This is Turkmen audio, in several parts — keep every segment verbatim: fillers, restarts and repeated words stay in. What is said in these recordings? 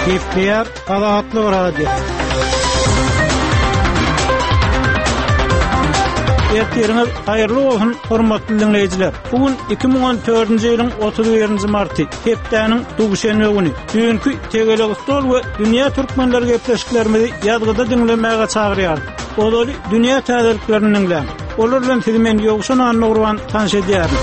Gepleýär Azatlyk Radiosy. Ertiriňiz haýyrly bolsun, hormatly diňleýjiler. Bu gün iki müň on dördünji ýylyň otuz birinji marty, hepdäniň duşenbe güni. Düýnki Tegelek stol we Dünýä türkmenleri gepleşiklerimizi ýazgyda diňlemäge çagyrýarys. Ozaly dünýä täzeliklerini diňläň. Olar bilen sizi men Ýowşan Annagurban tanyş edýärin.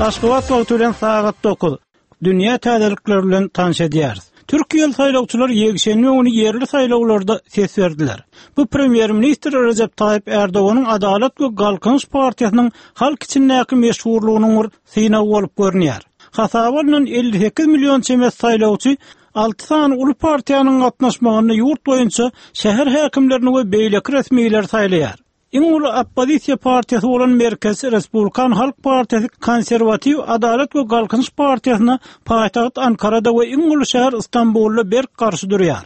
Aşgabat wagty bilen sagat dokuz. Dünýä täzelikleri bilen tanyş edýäris. Türkiýeli saýlawçylar ýekşenbe güni ýerli saýlawlarda ses berdiler. Bu premýer-ministr Rejep Taýyp Erdoganyň Adalat we Galkynyş partiýasynyň halk içindäki meşhurlygynyň bir synagy bolup görünýär. Hasaba alnan elli sekiz million çemesi saýlawçy alty sany uly partiýanyň gatnaşmagynda ýurt boýunça şäher häkimlerini we beýleki resmileri saýlaýar. Iň uly oppozisiýa partiýasy bolan Merkez Respublikan Halk Partiýasy Konserwatiw Adalat we Galkynyş Partiýasyna paýtagt Ankarada we iň uly şäher Istanbulda berk garşy durýar.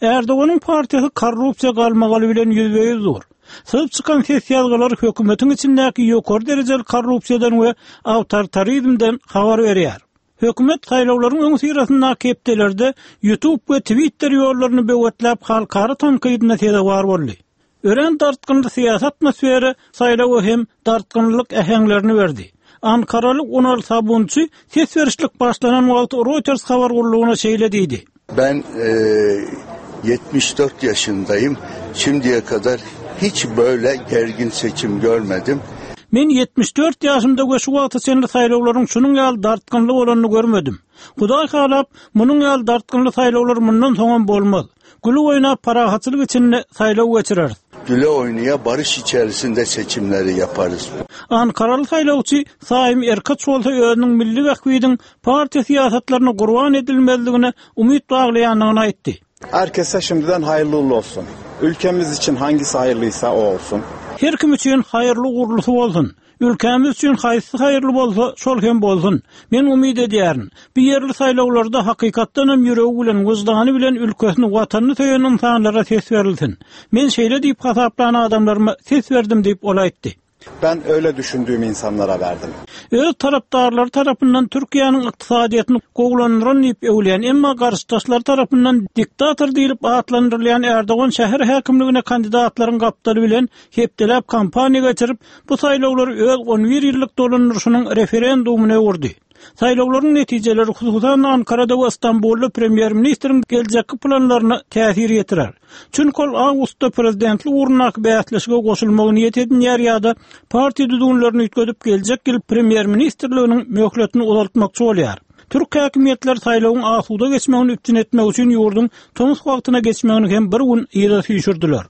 Erdoganyň partiýasy korrupsiýa galmagaly bilen ýüzbe-ýüz dur. Syzyp çykan ses ýazgylary hökümetiň içindäki ýokary derejeli korrupsiýadan we awtoritarizmden habar berýär. Hökümet saýlawlaryň öňüsyrasyndaky hepdelerde YouTube we Twitter ýollaryny böwetläp halkara tankydyna sezewar boldy. Örän dartgynly syýasy atmosfera saýlawa hem dartgynlyk äheňlerini berdi. Ankaraly Unal Sabunçy ses berişlik başlanan wagty Reuters habar gullugyna şeýle diýdi. Ben, e, ýetmiş dört ýaşyndayım. Şimdiye kadar hiç böyle gergin seçim görmedim. Men ýetmiş dört ýaşymda we şu wagta çenli saýlawlaryň şunuň ýaly dartgynly bolanyny görmedim. Hudaý halap, munuň ýaly dartgynly saýlawlar mundan soňam bolmaz. Gülü oýnap parahatçylyk içinde saýlaw geçireris. Güle oynaya barış içerisinde seçimleri yaparız. Ankaraly saýlawçy Saim Erkaç bolsa özüniň milli bähbidin partiýa syýasatlaryna gurban edilmezligine umyt baglaýandygyny aýtdy. Herkese şimdiden hayırlı uğurlu olsun. Ülkemiz için hangisi hayırlıysa o olsun. Her kim üçin hayırlı uğurlusu olsun. Ülkemiz üçin haýsy haýyrly bolsa, şol hem bolsun. Men umyt edýärin. Bu ýerli saýlawlarda hakykatdan hem ýüregi bilen, wyždany bilen ülkesini, watanyny söýen insanlara ses berilsin. Men şeýle diýip hasaplan adamlaryma ses berdim diýip ol aýtdy. Ben öyle düşündüğüm insanlara verdim. Öz tarapdarlary tarapyndan Türkiýäniň ykdysadyýetini gowulandyran diýip öwülýän, emma garşydaşlar tarapyndan diktator diýlip atlandyrylýan Erdogan şäher häkimligine kandidatlaryň gapdaly bilen hepdeläp kampaniýa geçirip, bu saýlawlary öz on bir ýyllyk dolandyryşynyň referendumyna öwürdi. Saýlawlaryň netijeleri hususan Ankarada we Istanbulda premýer-ministriň geljekki planlaryna täsir ýetirer. Çünki ol awgustda prezidentlik ugrundaky bäsleşige goşulmagy niýet edinýär ýa-da partiýa düzgünlerini üýtgedip geljek ýyl premýer-ministrliginiň möhletini uzaltmakçy bolýar. Türk häkimiýetleri saýlawyň asuda geçmegini üpjün etmek üçin ýurduň tomus wagtyna geçmegini hem bir gün yza süýşürdiler.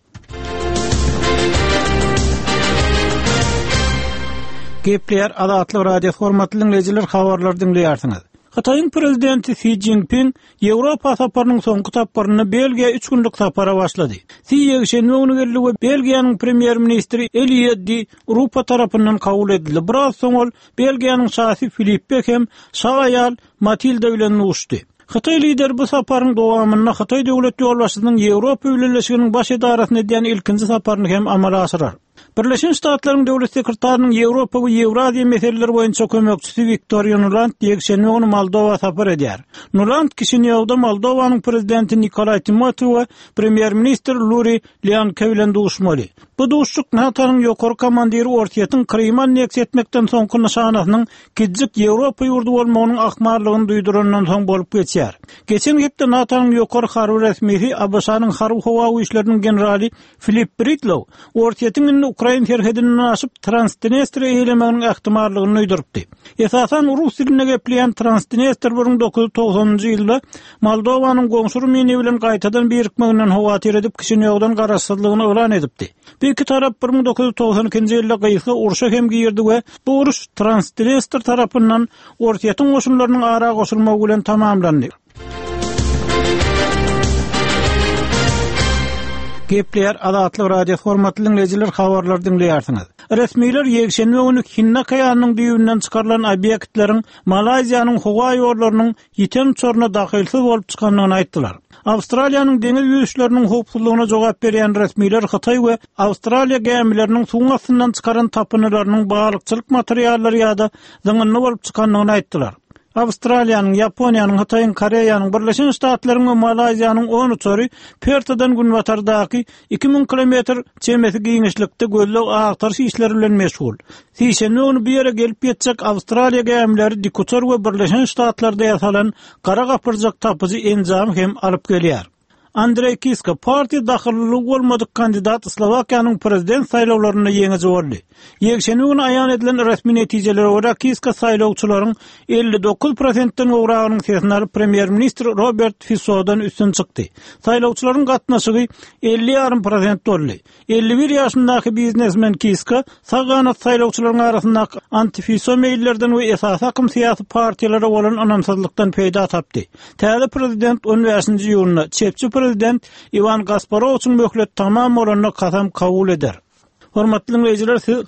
Gepleýär Azatlyk Radiosy, hormatly dinleýjiler, habarlary diňleýärsiňiz. Hytaýyň prezidenti Si Jinping Ýewropa saparynyň soňky tapgyrynda Belgiýa üç günlük sapara başlady. Si ýekşenbe güni geldi we Belgiýanyň premýer-ministri Elie Di Rupo tarapyndan kabul edildi. Biraz soň ol Belgiýanyň şasy Filippe hem şa aýal Matilda bilen duşdy. Hytaý lideri bu saparyň dowamynda Hytaý döwlet ýolbaşçysynyň Ýewropa Bileleşiginiň baş edarasyna edýän ilkinji saparyny hem amala aşyrar. Birleşen Ştatlaryň döwlet sekretarynyň Ýewropa we Ýewraziýa meseleleri boýunça kömekçisi Wiktoriýa Nuland ýekşenbe güni Moldowa sapar edýär. Nuland Kişinýowda Moldowanyň prezidenti Nikolaý Timofeýew we premýer-ministr Luri Leanke bilen duşmaly. Bu duşuşyk NATO-nyň ýokary komandiri Orsýetiň Krymy anneksiýa etmekden soňky nyşanasynyň kiçijik Ýewropa ýurdy bolmagynyň ahmallygyny duýdurandan soň bolup geçýär. Geçen hepde NATO-nyň ýokary harby resmisi A B Ş-nyň harby howa güýçleriniň generaly Filip Britlow Orsýetiň indi Ukrain serhedinden aşyp Transdniestr eýlemeginiň ähtimallygyny duýdurypdy. Esasan rus dilinde gepleýän Transdniestr bir müň dokuz ýüz togsanynjy ýylda Moldowanyň goňşy Rumyniýa bilen gaýtadan birikmeginden howatyr edip Kişinýowdan garaşsyzlygyny yglan edipdi. Bu iki tarap bir müň dokuz ýüz togsan ikinji ýylda gysga urşa hem girdi we bu uruş Transdniestr tarapyndan Orsýetiň goşunlarynyň ara goşulmagy bilen tamamlandy. Gepleýär Azatlyk Radiosy hormatly diňleýjiler habarlary diňleýärsiňiz. Resmiler ýekşenbe güni Hindi okeanynyň düýbünden çykarylan obýektleriň Malaýziýanyň howa ýollarynyň ýiten uçaryna dahylsyz bolup çykandygyny aýtdylar. Awstraliýanyň deňiz ýüzüşleriniň howpsuzlygyna jogap berýän resmiler Hytaý we Awstraliýa gämileriniň suwuň astyndan çykaran tapyndylarynyň balykçylyk materiallary ýa-da zyňyndy bolup çykandygyny aýtdylar. Awstraliýanyň, Ýaponiýanyň, Hytaýyň, Koreýanyň, Birleşen Ştatlaryň we Malaýziýanyň on uçary Pertadan günbatardaky iki müň kilometr çemesi giňişlikde gözleg-agtaryş işleri bilen meşgul. Sişenbe güni bu ýere gelip ýetjek Awstraliýa gämileri dikuçar we Birleşen Ştatlarda ýasalan gara gapyrjak tapyjy enjamy hem alyp gelýär. Andreý Kiska partiýa dahyllylygy bolmadyk kandidat Slowakiýanyň prezident saýlawlarynda ýeňiji boldy. Ýekşenbe güni aýan edilen resmi netijelere görä Kiska saýlawçylaryň elli dokuz prosentden gowragynyň sesini alyp premýer-ministr Robert Fisodan üstün çykdy. Saýlawçylaryň gatnaşygy elli ýarym prosent boldy. Elli bir ýaşyndaky biznesmen Kiska sag ganat saýlawçylaryň arasyndaky anti-Fiso meýillerden we esasy akym syýasy partiýalara bolan ynamsyzlykdan peýda tapdy. Täze prezident on bäşinji iýunda çepçi prezident Iwan Gasparowiçiň möhleti tamam bolanda kasam kabul eder. Hormatly dinleýjiler, siz